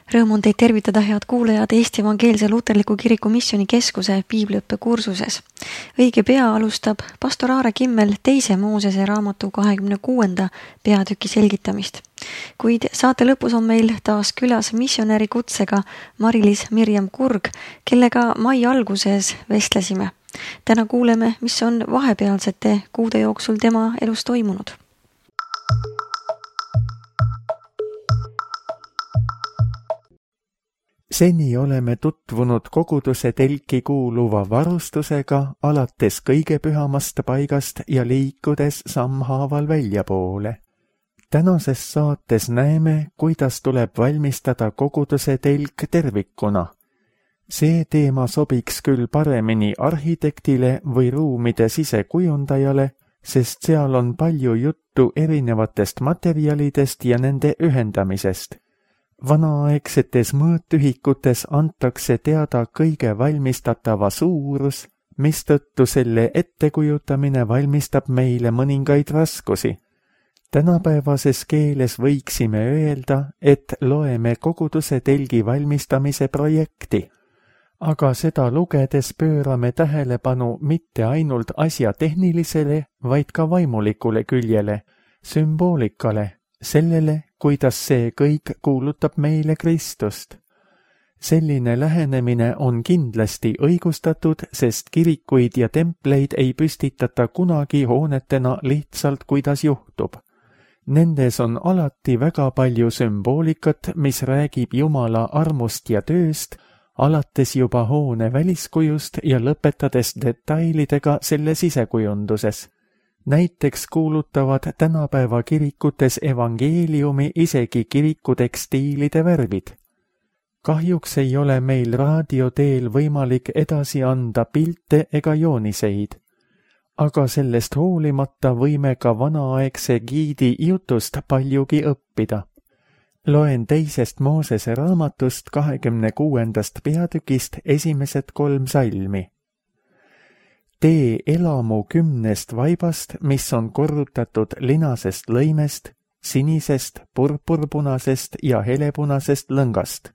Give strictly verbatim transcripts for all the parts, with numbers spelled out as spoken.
Rõõm on teid tervitada, head kuulajad, Eesti Evangeelse Luterliku Kiriku Missioonikeskuse piibliõppe kursuses. Õige pea alustab pastor Aare Kimmel teise Moosese raamatu kahekümne kuuenda peatüki selgitamist. Kuid saate lõpus on meil taas külas missionäri kutsega Mari-Liis Mirjam Kurg, kellega mai alguses vestlesime. Täna kuuleme, mis on vahepealsete kuude jooksul tema elus toimunud. Seni oleme tutvunud koguduse telki kuuluva varustusega alates kõige pühamast paigast ja liikudes sammhaaval väljapoole. Tänases saates näeme, kuidas tuleb valmistada koguduse telk tervikuna. See teema sobiks küll paremini arhitektile või ruumide sisekujundajale, sest seal on palju juttu erinevatest materjalidest ja nende ühendamisest. Vanaaegsetes mõõtühikutes antakse teada kõige valmistatava suurus, mistõttu selle ettekujutamine valmistab meile mõningaid raskusi. Tänapäevases keeles võiksime öelda, et loeme koguduse telgi valmistamise projekti, aga seda lugedes pöörame tähelepanu mitte ainult asja tehnilisele, vaid ka vaimulikule küljele, sümboolikale, sellele, kuidas see kõik kuulutab meile Kristust. Selline lähenemine on kindlasti õigustatud, sest kirikuid ja templeid ei püstitata kunagi hoonetena lihtsalt, kuidas juhtub. Nendes on alati väga palju sümboolikat, mis räägib Jumala armust ja tööst, alates juba hoone väliskujust ja lõpetades detailidega selle sisekujunduses. Näiteks kuulutavad tänapäeva kirikutes evangeeliumi isegi kirikutekstiilide värvid. Kahjuks ei ole meil raadioteel võimalik edasi anda pilte ega jooniseid, aga sellest hoolimata võime ka vanaaegse giidi jutust paljugi õppida. Loen teisest Moosese raamatust kahekümne kuuendast peatükist esimesed kolm salmi. Tee elamu kümnest vaibast, mis on korrutatud linasest lõimest, sinisest, purpurpunasest ja helepunasest lõngast.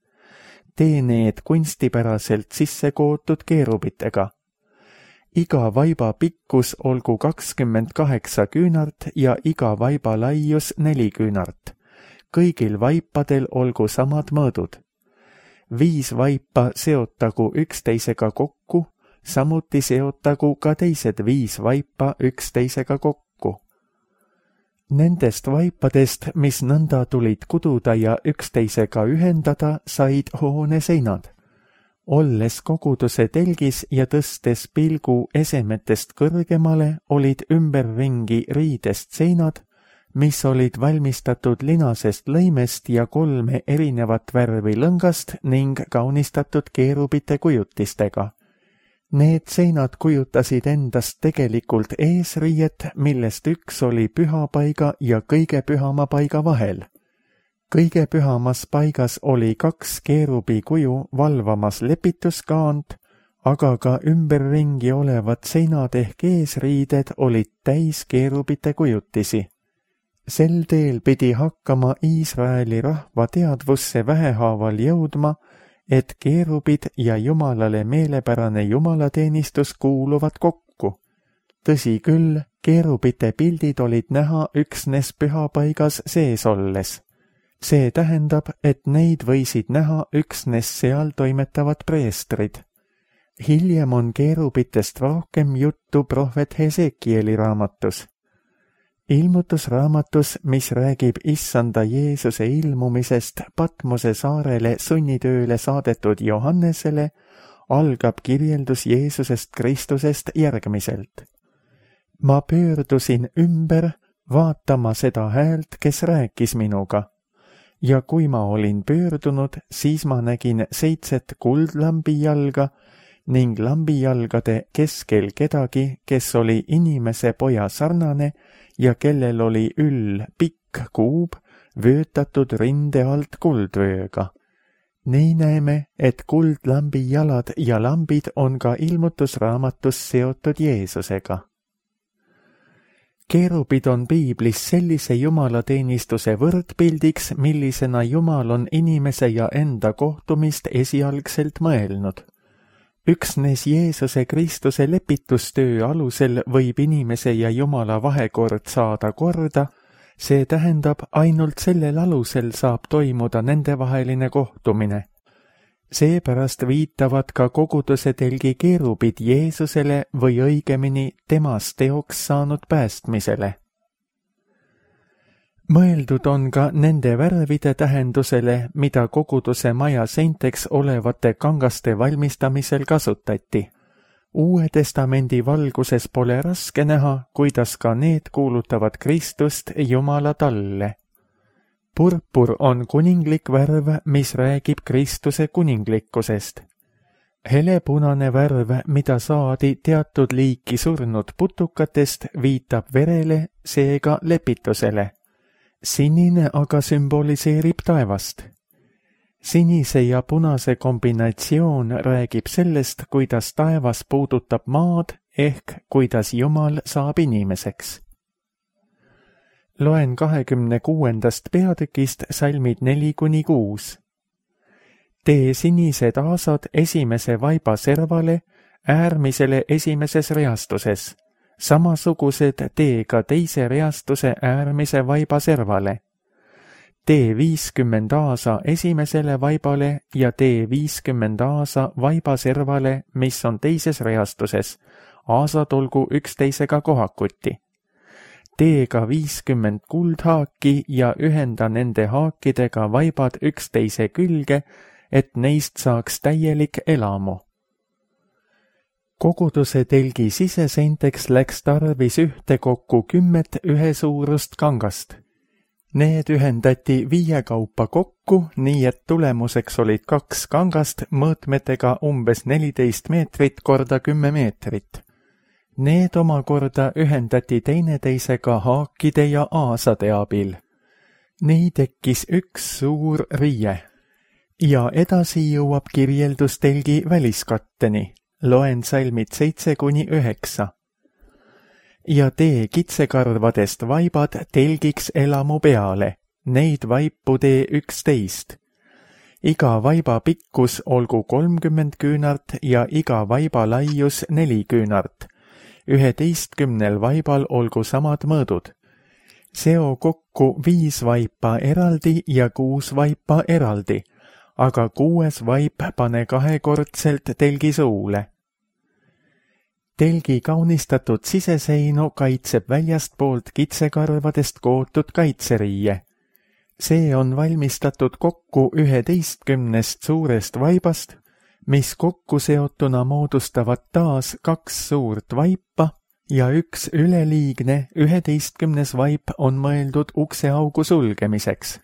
Tee need kunstipäraselt sisse kootud keerubitega. Iga vaiba pikkus olgu kakskümmend kaheksa küünart ja iga vaiba laius neli küünart. Kõigil vaipadel olgu samad mõõdud. Viis vaipa seotagu üksteisega kokku, samuti seotagu ka teised viis vaipa üksteisega kokku. Nendest vaipadest, mis nõnda tulid kududa ja üksteisega ühendada, said hoone seinad. Olles koguduse telgis ja tõstes pilgu esemetest kõrgemale, olid ümberringi riidest seinad, mis olid valmistatud linasest lõimest ja kolme erinevat värvi lõngast ning kaunistatud keerubite kujutistega. Need seinad kujutasid endast tegelikult eesriiet, millest üks oli pühapaiga ja kõige pühama paiga vahel. Kõige pühamas paigas oli kaks keerubi kuju valvamas lepituskaant, aga ka ümberringi olevad seinad ehk eesriided olid täis keerubite kujutisi. Sel teel pidi hakkama Iisraeli rahva teadvusse vähehaaval jõudma, et keerubid ja Jumalale meelepärane jumalateenistus kuuluvad kokku. Tõsi küll, keerubite pildid olid näha üksnes pühapaigas sees olles. See tähendab, et neid võisid näha üksnes seal toimetavad preestrid. Hiljem on keerubitest rohkem juttu prohvet Hesekieli raamatus. Ilmutusraamatus, mis räägib issanda Jeesuse ilmumisest Patmose saarele sunnitööle saadetud Johannesele, algab kirjeldus Jeesusest Kristusest järgmiselt. Ma pöördusin ümber vaatama seda häält, kes rääkis minuga. Ja kui ma olin pöördunud, siis ma nägin seitset kuldlambijalga ning lambijalgade keskel kedagi, kes oli inimese poja sarnane ja kellel oli üll pikk kuub, vöötatud rinde alt kuldvööga. Nii näeme, et kuldlambi jalad ja lambid on ka ilmutusraamatus seotud Jeesusega. Keerubid on piiblis sellise jumalateenistuse võrdpildiks, millisena Jumal on inimese ja enda kohtumist esialgselt mõelnud. Üksnes Jeesuse Kristuse lepitustöö alusel võib inimese ja Jumala vahekord saada korda, see tähendab, ainult sellel alusel saab toimuda nendevaheline kohtumine. Seepärast viitavad ka koguduse telgi keerubid Jeesusele või õigemini temast teoks saanud päästmisele. Mõeldud on ka nende värvide tähendusele, mida koguduse maja seinteks olevate kangaste valmistamisel kasutati. Uue testamendi valguses pole raske näha, kuidas ka need kuulutavad Kristust Jumala talle. Purpur on kuninglik värv, mis räägib Kristuse kuninglikkusest. Helepunane värv, mida saadi teatud liiki surnud putukatest, viitab verele, seega lepitusele. Sinine aga sümboliseerib taevast. Sinise ja punase kombinatsioon räägib sellest, kuidas taevas puudutab maad, ehk kuidas Jumal saab inimeseks. Loen kahekümne kuuendast peatükist salmid neli kuni kuus. Tee sinised aasad esimese vaiba servale, äärmisele esimeses reastuses. Samasugused tee ka teise reastuse äärmise vaiba servale. Tee viiskümmend aasa esimesele vaibale ja tee viiskümmend aasa vaiba servale, mis on teises reastuses. Aasad olgu üksteisega kohakuti. Tee ka viiskümmend kuldhaaki ja ühenda nende haakidega vaibad üksteise külge, et neist saaks täielik elamu. Koguduse telgi siseseinteks läks tarvis ühtekokku kümmet ühesuurust kangast. Need ühendati viie kaupa kokku, nii et tulemuseks olid kaks kangast mõõtmetega umbes neliteist meetrit korda kümme meetrit. Need omakorda ühendati teineteisega haakide ja aasade abil. Nii tekkis üks suur riie. Ja edasi jõuab kirjeldus telgi väliskatteni. Loen salmid seitse kuni üheksa. Ja tee kitsekarvadest vaibad telgiks elamu peale. Neid vaipu tee üksteist. Iga vaiba pikkus olgu kolmkümmend küünart ja iga vaiba laius neli küünart. Üheteistkümnel vaibal olgu samad mõõdud. Seo kokku viis vaipa eraldi ja kuus vaipa eraldi, aga kuues vaip pane kahekordselt telgi suule. Telgi kaunistatud siseseinu kaitseb väljastpoolt kitsekarvadest kootud kaitseriie. See on valmistatud kokku üheteistkümnest suurest vaibast, mis kokku seotuna moodustavad taas kaks suurt vaipa ja üks üleliigne üheteistkümnes vaip on mõeldud ukseaugu sulgemiseks.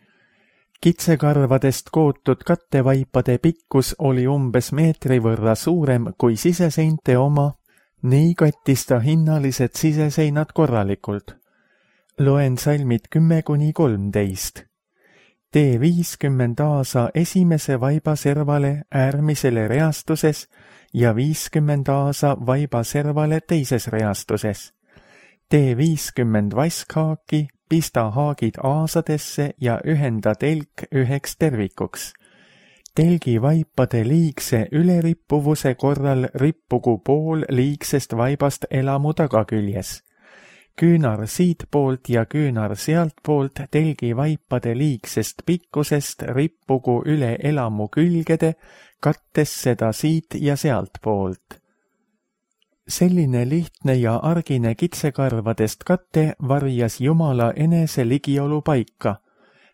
Kitsekarvadest kootud kattevaipade pikkus oli umbes meetri võrra suurem kui siseseinte oma, nii kattis ta hinnalised siseseinad korralikult. Loen salmid kümme kuni kolmteist. Tee viiskümmend aasa esimese vaiba servale äärmisele reastuses ja viiskümmend aasa vaiba servale teises reastuses. Tee viiskümmend vaskhaaki, pista haagid aasadesse ja ühenda telk üheks tervikuks. Telgi vaipade liigse ülerippuvuse korral rippugu pool liigsest vaibast elamu tagaküljes. Küünar siitpoolt ja küünar sealtpoolt telgi vaipade liigsest pikkusest rippugu üle elamu külgede, kattes seda siit ja sealtpoolt. Selline lihtne ja argine kitsekarvadest katte varjas Jumala enese ligiolu paika.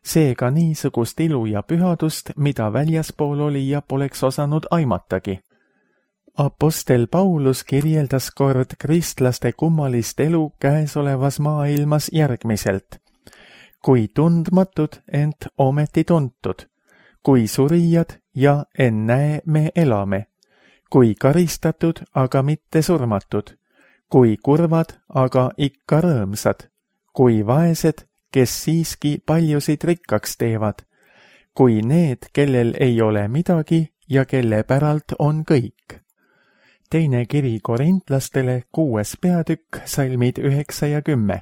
Seega niisugust ilu ja pühadust, mida väljaspool oli ja poleks osanud aimatagi. Apostel Paulus kirjeldas kord kristlaste kummalist elu käesolevas maailmas järgmiselt. Kui tundmatud, ent ometi tuntud. Kui surijad ja ennäe me elame. Kui karistatud, aga mitte surmatud. Kui kurvad, aga ikka rõõmsad. Kui vaesed, kes siiski paljusid rikkaks teevad. Kui need, kellel ei ole midagi ja kelle päralt on kõik. Teine kiri korintlastele, kuues peatükk, salmid üheksa ja kümme.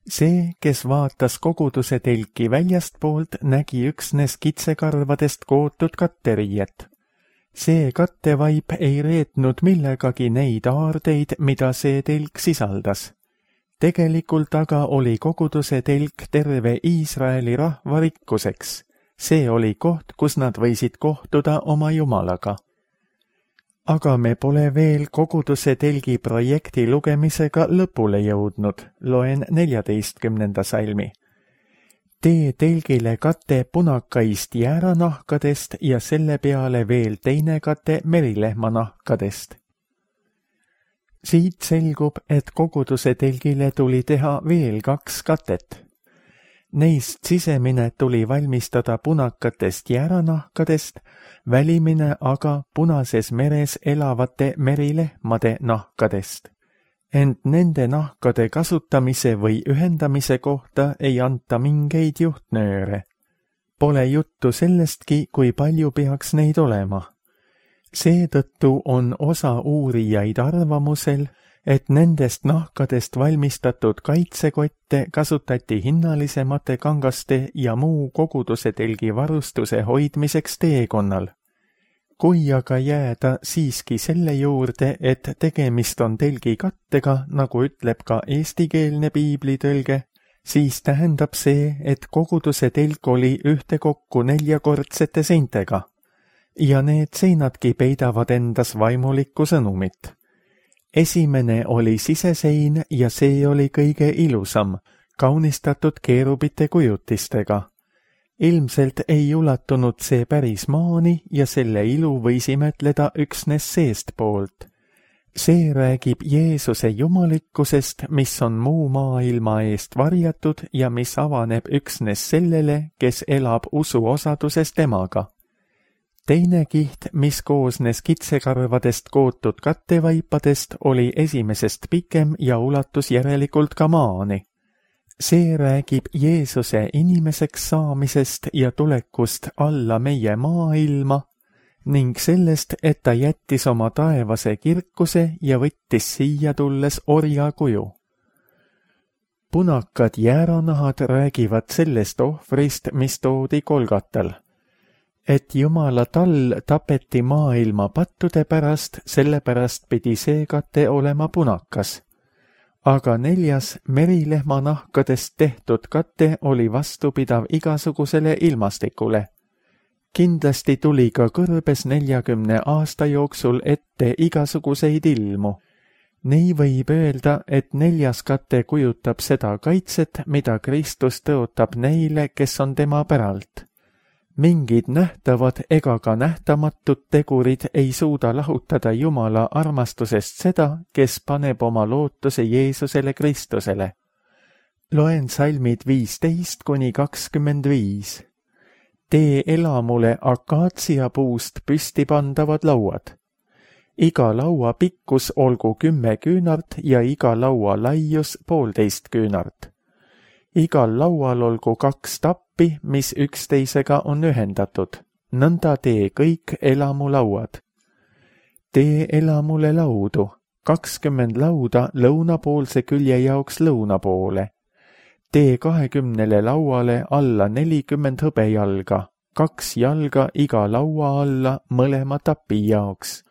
See, kes vaatas koguduse telki väljastpoolt, nägi üksnes kitsekarvadest kootud katteriiet. See kattevaip ei reetnud millegagi neid aardeid, mida see telk sisaldas. Tegelikult aga oli koguduse telk terve Iisraeli rahva rikkuseks. See oli koht, kus nad võisid kohtuda oma Jumalaga. Aga me pole veel koguduse telgi projekti lugemisega lõpule jõudnud, loen neljateistkümnenda salmi. Tee telgile kate punakaist jääranahkadest ja selle peale veel teine kate merilehmanahkadest. Siit selgub, et koguduse telgile tuli teha veel kaks katet. Neist sisemine tuli valmistada punakatest jääranahkadest, välimine aga Punases meres elavate merilehmade nahkadest. Ent nende nahkade kasutamise või ühendamise kohta ei anta mingeid juhtnööre. Pole juttu sellestki, kui palju peaks neid olema. Seetõttu on osa uurijaid arvamusel, et nendest nahkadest valmistatud kaitsekotte kasutati hinnalisemate kangaste ja muu koguduse telgi varustuse hoidmiseks teekonnal. Kui aga jääda siiski selle juurde, et tegemist on telgi kattega, nagu ütleb ka eestikeelne piiblitõlge, siis tähendab see, et koguduse telk oli ühtekokku neljakordsete seintega. Ja need seinadki peidavad endas vaimulikku sõnumit. Esimene oli sisesein ja see oli kõige ilusam, kaunistatud keerubite kujutistega. Ilmselt ei ulatunud see päris maani ja selle ilu võis imetleda üksnes seestpoolt. See räägib Jeesuse jumalikkusest, mis on muu maailma eest varjatud ja mis avaneb üksnes sellele, kes elab usuosaduses temaga. Teine kiht, mis koosnes kitsekarvadest kootud kattevaipadest, oli esimesest pikem ja ulatus järelikult ka maani. See räägib Jeesuse inimeseks saamisest ja tulekust alla meie maailma ning sellest, et ta jättis oma taevase kirkuse ja võttis siia tulles orja kuju. Punakad jääranahad räägivad sellest ohvrist, mis toodi Kolgatal. Et Jumala tall tapeti maailma pattude pärast, sellepärast pidi see kate olema punakas. Aga neljas merilehmanahkadest tehtud kate oli vastupidav igasugusele ilmastikule. Kindlasti tuli ka kõrbes neljakümne aasta jooksul ette igasuguseid ilmu. Nii võib öelda, et neljas kate kujutab seda kaitset, mida Kristus tõotab neile, kes on tema päralt. Mingid nähtavad ega ka nähtamatud tegurid ei suuda lahutada Jumala armastusest seda, kes paneb oma lootuse Jeesusele Kristusele. Loen salmid viisteist kuni kakskümmend viis. Tee elamule akaatsiapuust püsti pandavad lauad. Iga laua pikkus olgu kümme küünart ja iga laua laius poolteist küünart. Igal laual olgu kaks tappi, mis üksteisega on ühendatud. Nõnda tee kõik elamulauad. Tee elamule laudu, kakskümmend lauda lõunapoolse külje jaoks lõunapoole. Tee kahekümnele lauale alla nelikümmend hõbejalga, kaks jalga iga laua alla mõlema tapi jaoks.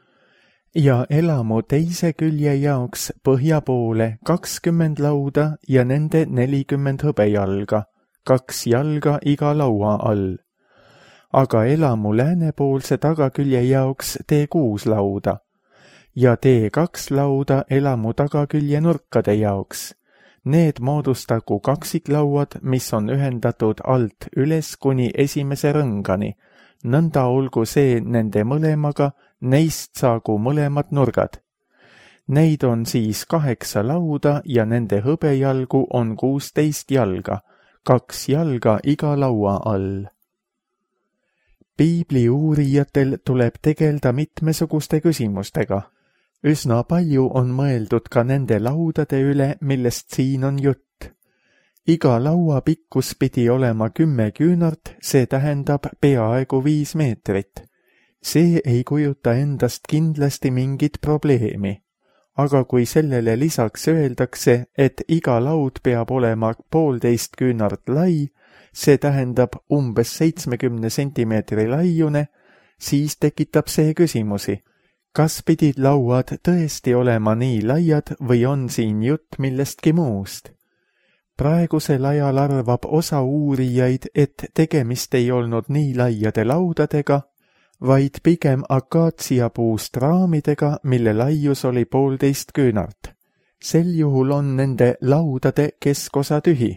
Ja elamu teise külje jaoks põhja poole kakskümmend lauda ja nende nelikümmend hõbejalga, kaks jalga iga laua all. Aga elamu läänepoolse tagakülje jaoks tee kuus lauda ja tee kaks lauda elamu tagakülje nurkade jaoks. Need moodustagu kaksiklauad, mis on ühendatud alt üles kuni esimese rõngani. Nõnda olgu see nende mõlemaga, neist saagu mõlemad nurgad. Neid on siis kaheksa lauda ja nende hõbejalgu on kuusteist jalga, kaks jalga iga laua all. Piibli uurijatel tuleb tegelda mitmesuguste küsimustega. Üsna palju on mõeldud ka nende laudade üle, millest siin on jutt. Iga laua pikkus pidi olema kümme küünart, see tähendab peaaegu viis meetrit. See ei kujuta endast kindlasti mingit probleemi. aga kui sellele lisaks öeldakse, et iga laud peab olema poolteist küünart lai, see tähendab umbes seitsmekümne sentimeetri laiune, siis tekitab see küsimusi. Kas pidid lauad tõesti olema nii laiad või on siin jutt millestki muust? Praegusel ajal arvab osa uurijaid, et tegemist ei olnud nii laiade laudadega, vaid pigem akaatsiapuust raamidega, mille laius oli poolteist küünart. Sel juhul on nende laudade keskosa tühi.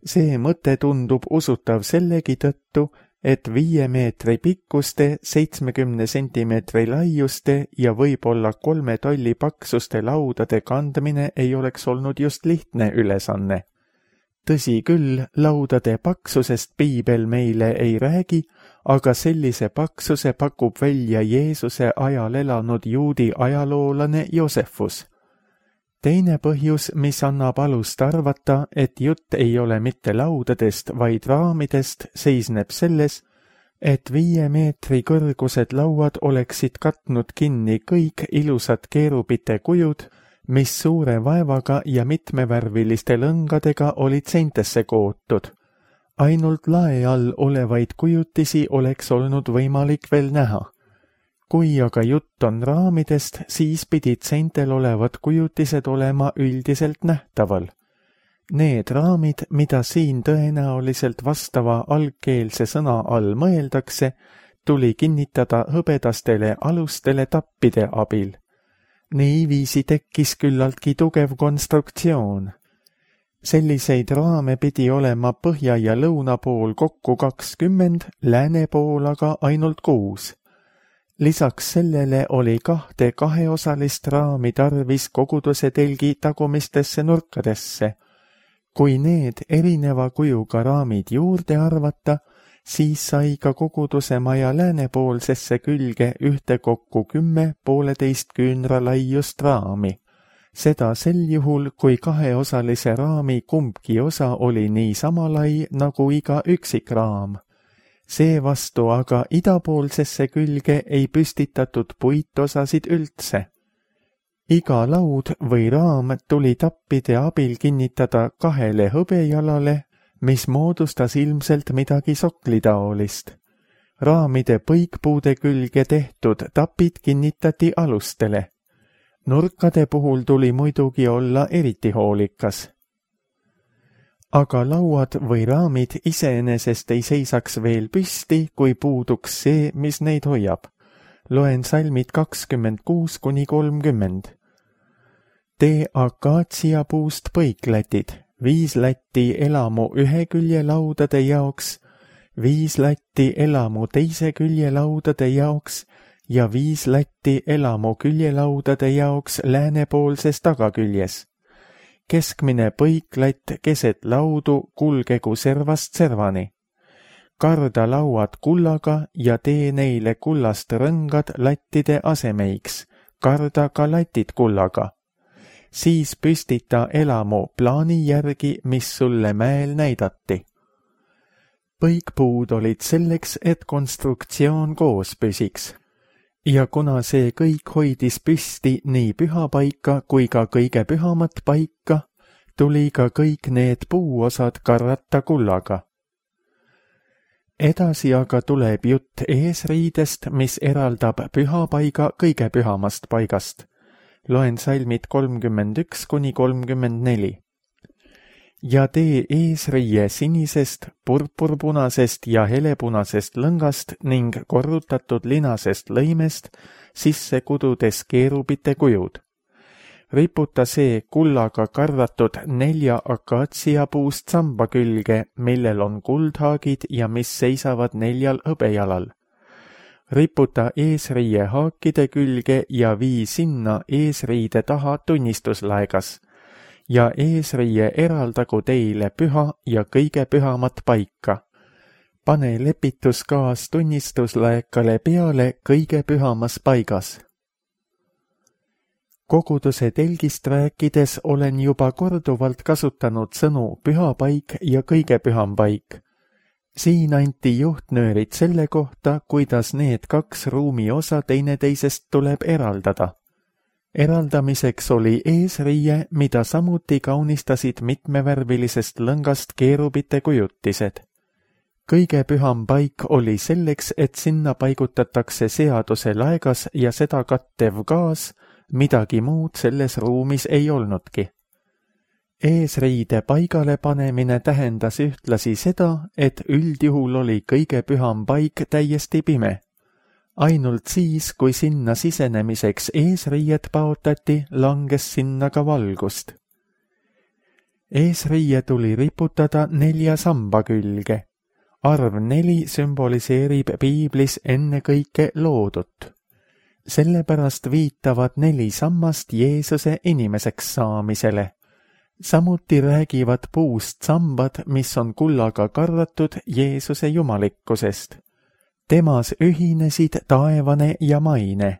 See mõte tundub usutav sellegi tõttu, et viie meetri pikkuste, seitsmekümne sentimeetri laiuste ja võib-olla kolme tolli paksuste laudade kandmine ei oleks olnud just lihtne ülesanne. Tõsi küll, laudade paksusest piibel meile ei räägi, aga sellise paksuse pakub välja Jeesuse ajal elanud juudi ajaloolane Joosefus. Teine põhjus, mis annab alust arvata, et jutt ei ole mitte laudadest, vaid raamidest, seisneb selles, et viie meetri kõrgused lauad oleksid katnud kinni kõik ilusad keerubite kujud, mis suure vaevaga ja mitmevärviliste lõngadega olid seintesse kootud. Ainult lae all olevaid kujutisi oleks olnud võimalik veel näha. Kui aga jutt on raamidest, siis pidid seintel olevad kujutised olema üldiselt nähtaval. Need raamid, mida siin tõenäoliselt vastava algkeelse sõna all mõeldakse, tuli kinnitada hõbedastele alustele tappide abil. Niiviisi tekkis küllaltki tugev konstruktsioon. Selliseid raame pidi olema põhja ja lõuna pool kokku kakskümmend, lääne pool aga ainult kuus. Lisaks sellele oli kahte kaheosalist raami tarvis koguduse telgi tagumistesse nurkadesse. Kui need erineva kujuga raamid juurde arvata, siis sai ka koguduse maja läänepoolsesse külge ühtekokku kümme pooleteist küünra laiust raami. Seda sel juhul, kui kaheosalise raami kumbki osa oli nii sama lai nagu iga üksik raam. Seevastu aga idapoolsesse külge ei püstitatud puitosasid üldse. Iga laud või raam tuli tappide abil kinnitada kahele hõbejalale, mis moodustas ilmselt midagi soklitaolist. Raamide põikpuude külge tehtud tapid kinnitati alustele. Nurkade puhul tuli muidugi olla eriti hoolikas. Aga lauad või raamid iseenesest ei seisaks veel püsti, kui puuduks see, mis neid hoiab. Loen salmid kakskümmend kuus kuni kolmkümmend. Tee akaatsiapuust põiklätid, viis lätti elamu ühe külje laudade jaoks, viis lätti elamu teise külje laudade jaoks ja viis lätti elamu küljelaudade jaoks läänepoolses tagaküljes. Keskmine põiklätt keset laudu kulgegu servast servani. Karda lauad kullaga ja tee neile kullast rõngad lattide asemeiks, karda ka latid kullaga. Siis püstita elamu plaani järgi, mis sulle mäel näidati. Põikpuud olid selleks, et konstruktsioon koos püsiks. Ja kuna see kõik hoidis püsti nii püha paika kui ka kõige pühamat paika, tuli ka kõik need puuosad karrata kullaga. Edasi aga tuleb jutt eesriidest, mis eraldab püha paiga kõige pühamast paigast. Loen salmid kolmkümmend üks kuni kolmkümmend neli. Ja tee eesriie sinisest, purpurpunasest ja helepunasest lõngast ning korrutatud linasest lõimest, sisse kududes keerubite kujud. Riputa see kullaga karratud nelja akaatsiapuust samba külge, millel on kuldhaagid ja mis seisavad neljal hõbejalal. Riputa eesriie haakide külge ja vii sinna eesriide taha tunnistuslaegas. Ja eesriie eraldagu teile püha ja kõige pühamat paika. Pane lepituskaas tunnistuslaekale peale kõige pühamas paigas. Koguduse telgist rääkides olen juba korduvalt kasutanud sõnu püha paik ja kõige püham paik. Siin anti juhtnöörid selle kohta, kuidas need kaks ruumi osa teineteisest tuleb eraldada. Eraldamiseks oli eesriie, mida samuti kaunistasid mitmevärvilisest lõngast keerubite kujutised. Kõige püham paik oli selleks, et sinna paigutatakse seaduse laegas ja seda kattev gaas, midagi muud selles ruumis ei olnudki. Eesriide paigale panemine tähendas ühtlasi seda, et üldjuhul oli kõige püham paik täiesti pime. Ainult siis, kui sinna sisenemiseks eesriiet paotati, langes sinna ka valgust. Eesriie tuli riputada nelja samba külge. Arv neli sümboliseerib piiblis ennekõike loodut. Sellepärast viitavad neli sammast Jeesuse inimeseks saamisele. Samuti räägivad puust sambad, mis on kullaga karratud Jeesuse jumalikkusest. Temas ühinesid taevane ja maine.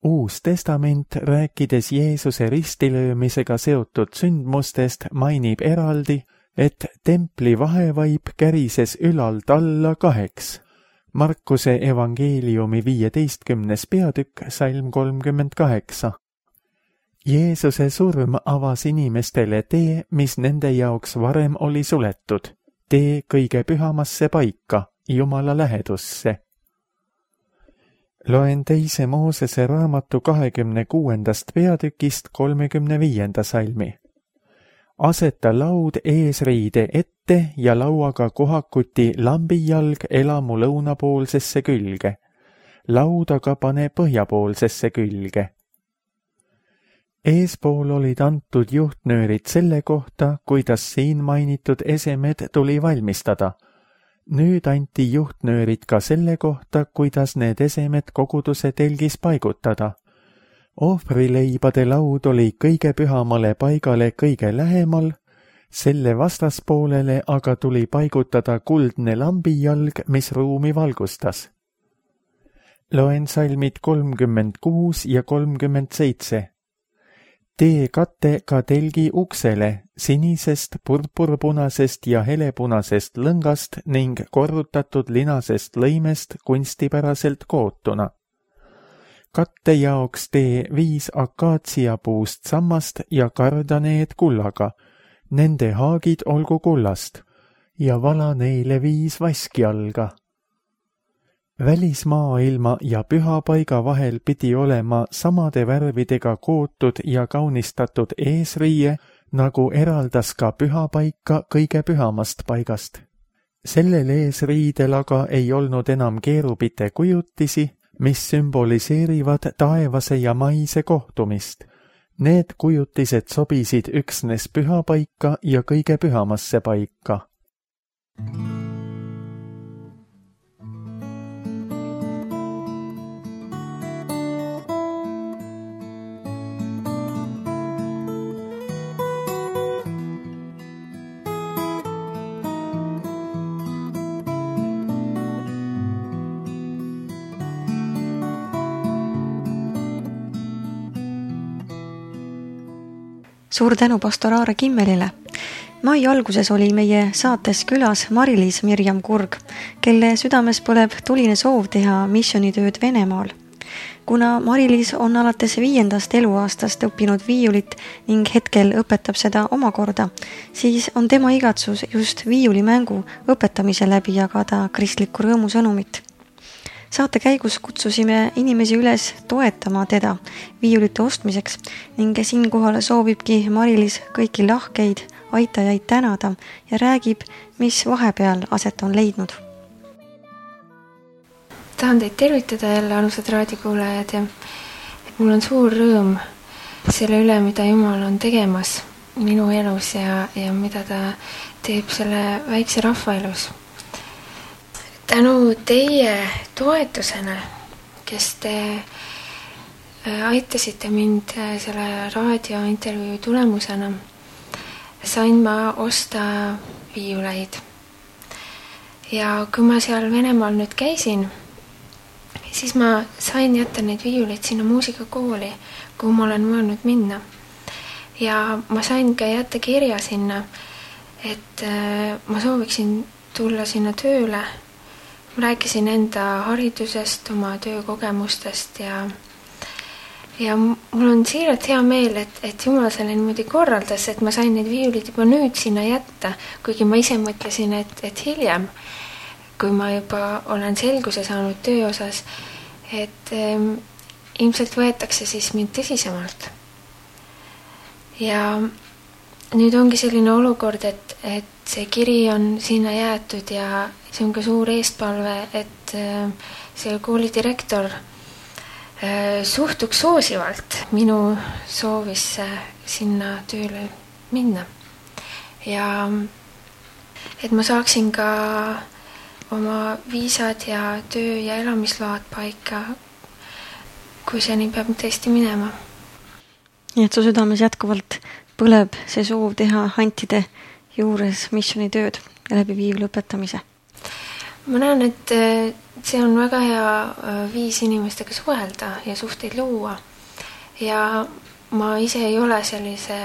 Uus testament, rääkides Jeesuse ristilöömisega seotud sündmustest, mainib eraldi, et templi vahevaip kärises ülalt alla kaheks. Markuse evangeeliumi viieteistkümnes peatükk, salm kolmkümmend kaheksa. Jeesuse surm avas inimestele tee, mis nende jaoks varem oli suletud, tee kõige pühamasse paika, Jumala lähedusse. Loen teise Moosese raamatu kahekümne kuuendast peatükist kolmekümne viienda salmi. Aseta laud eesriide ette ja lauaga kohakuti lambijalg elamu lõunapoolsesse külge. Laudaga pane põhjapoolsesse külge. Eespool olid antud juhtnöörid selle kohta, kuidas siin mainitud esemed tuli valmistada. Nüüd anti juhtnöörid ka selle kohta, kuidas need esemed koguduse telgis paigutada. Ohvrileibade laud oli kõige pühamale paigale kõige lähemal, selle vastaspoolele aga tuli paigutada kuldne lambijalg, mis ruumi valgustas. Loen salmid kolmkümmend kuus ja kolmkümmend seitse. Tee kate ka telgi uksele, sinisest, purpurpunasest ja helepunasest lõngast ning korrutatud linasest lõimest kunstipäraselt kootuna. Katte jaoks tee viis akaatsiapuust sammast ja karda need kullaga, nende haagid olgu kullast, ja vala neile viis vaskjalga. Välismaailma ja pühapaiga vahel pidi olema samade värvidega kootud ja kaunistatud eesriie, nagu eraldas ka pühapaika kõige pühamast paigast. Sellel eesriidel aga ei olnud enam keerubite kujutisi, mis sümboliseerivad taevase ja maise kohtumist. Need kujutised sobisid üksnes pühapaika ja kõige pühamasse paika. Suur tänu pastor Aare Kimmelile. Mai alguses oli meie saates külas Mari-Liis Mirjam Kurg, kelle südames põleb tuline soov teha missioonitööd Venemaal. Kuna Mari-Liis on alates viiendast eluaastast õppinud viiulit ning hetkel õpetab seda omakorda, siis on tema igatsus just viiulimängu õpetamise läbi jagada kristlikku rõõmusõnumit. Saate käigus kutsusime inimesi üles toetama teda viiulite ostmiseks ning siinkohal soovibki Mari-Liis kõiki lahkeid aitajaid tänada ja räägib, mis vahepeal aset on leidnud. Tahan teid tervitada jälle, armsad raadiokuulajad, ja mul on suur rõõm selle üle, mida Jumal on tegemas minu elus ja, ja mida ta teeb selle väikse rahva elus. Tänu teie toetusena, kes te aitasite mind selle raadiointervjuu tulemusena, sain ma osta viiuleid. Ja kui ma seal Venemaal nüüd käisin, siis ma sain jätta neid viiuleid sinna muusikakooli, kuhu ma olen mõelnud minna. Ja ma sain ka jätta kirja sinna, et ma sooviksin tulla sinna tööle. Ma rääkisin enda haridusest, oma töökogemustest ja ja mul on siiralt hea meel, et, et Jumal selle niimoodi korraldas, et ma sain need viiulid juba nüüd sinna jätta, kuigi ma ise mõtlesin, et, et hiljem, kui ma juba olen selguse saanud töö osas, et ähm, ilmselt võetakse siis mind tõsisemalt. Ja nüüd ongi selline olukord, et, et see kiri on sinna jäetud ja see on ka suur eestpalve, et äh, see kooli direktor suhtuks soosivalt minu soovisse sinna tööle minna. Ja et ma saaksin ka oma viisad ja töö- ja elamisload paika, kui see nii peab tõesti minema. Nii et su südames jätkuvalt põleb see soov teha Antide juures missionitööd ja läbi viiv lõpetamise? Ma näen, et see on väga hea viis inimestega suhelda ja suhteid luua. Ja ma ise ei ole sellise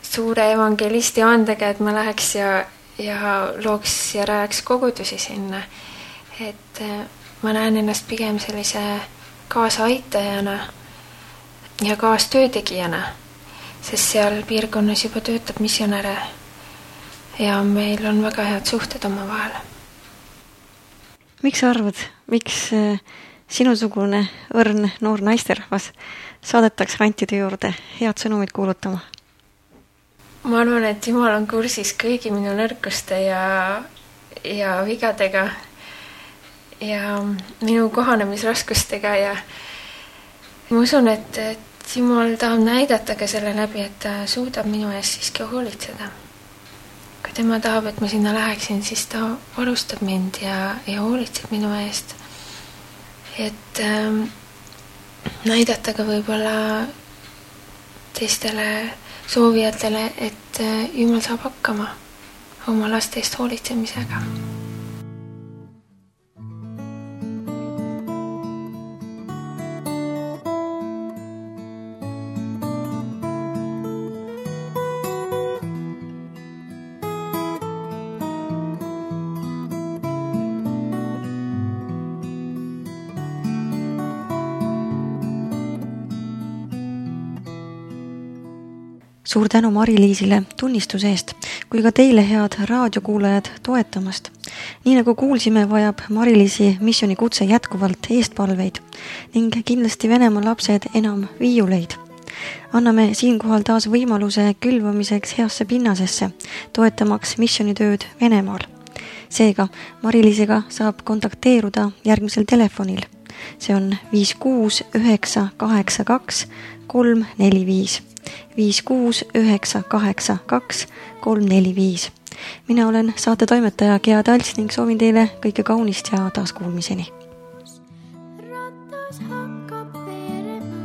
suure evangelisti andega, et ma läheks ja, ja looks ja rääks kogudusi sinna. Et ma näen ennast pigem sellise kaasaaitajana ja kaastöötegijana, sest seal piirkonnas juba töötab missionäre ja meil on väga head suhted oma vahel. Miks sa arvad, miks sinusugune õrn noor naisterahvas saadetakse Antide juurde head sõnumid kuulutama? Ma arvan, et Jumal on kursis kõigi minu nõrkuste ja, ja vigadega ja minu kohanemisraskustega ja ma usun, et, et Jumal tahab näidata ka selle läbi, et ta suudab minu eest siiski hoolitseda. Kui tema tahab, et ma sinna läheksin, siis ta varustab mind ja, ja hoolitseb minu eest. Et ähm, näidata ka võib-olla teistele soovijatele, et äh, Jumal saab hakkama oma laste eest hoolitsemisega. Suur tänu Mari-Liisile tunnistuse eest, kui ka teile head raadiokuulajad toetamast. Nii nagu kuulsime, vajab Mari-Liisi missionikutse jätkuvalt eestpalveid ning kindlasti Venemaa lapsed enam viiuleid. Anname siinkohal taas võimaluse külvamiseks heasse pinnasesse, toetamaks missionitööd Venemaal. Seega Mari-Liisiga saab kontakteeruda järgmisel telefonil. See on viis kuus üheksa kaheksa kaks kolm neli viis. viis kuus üheksa kaheksa kaks kolm neli viis. Mina olen saate toimetaja Gea Talts ning soovin teile kõike kaunist ja taaskuulmiseni. Ratas hakkab veerema,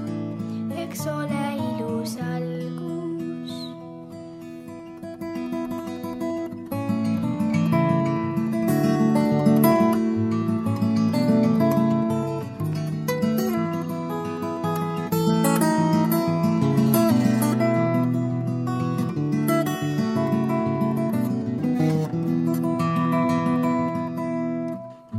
eks ole ilus algus.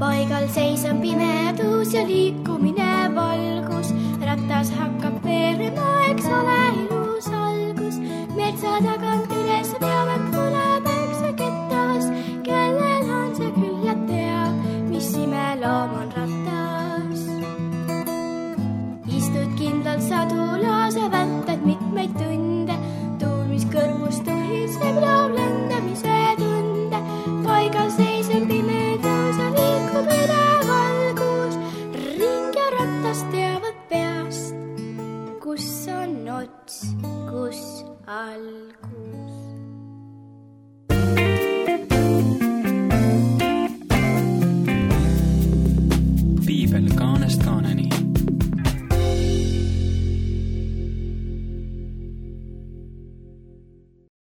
Paigal seisab pimedus ja liikumine valgus. Ratas hakkab veerema, eks ole ilus algus. Metsa tagant üles peavad tuleb üks kettas, kellel on see küll ja teab, mis imeloom on ratas. Istud kindlalt sadulas ja vältad mitmeid tunde, tuul, mis kõrvust tuhiseb, loob lendamise tunde. Paigal seisab pimedus ja liikub üle valgus, ring ja ratas teavad peast, kus on ots, kus algus.